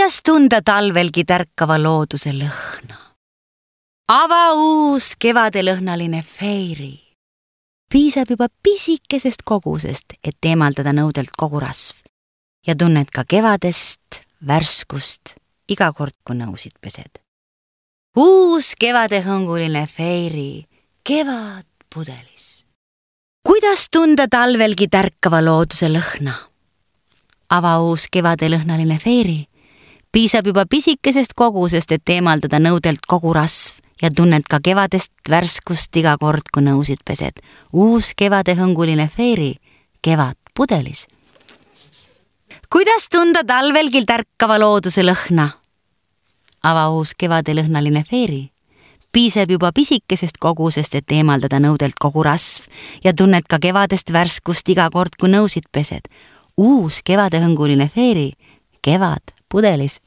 Kuidas tunda talvelgi tärkava looduse lõhna? Ava uus kevadelõhnaline feiri. Piisab juba pisikesest kogusest, et eemaldada nõudelt kogu rasv ja tunned ka kevadest värskust iga kord, kui nõusid pesed. Uus kevadehõnguline feiri, kevad pudelis. Kuidas tunda talvelgi tärkava looduse lõhna? Ava uus kevadelõhnaline feiri. Piisab juba pisikesest kogusest, et eemaldada nõudelt kogu rasv ja tunned ka kevadest värskust iga kord, kui nõusid pesed. Uus kevadehõnguline feiri, kevad pudelis. Kuidas tunda talvelgi tärkava looduse lõhna? Ava uus kevadelõhnaline feeri. Piisab juba pisikesest kogusest, et eemaldada nõudelt kogu rasv ja tunned ka kevadest värskust iga kord, kui nõusid pesed. Uus kevadehõnguline feeri, kevad pudelis.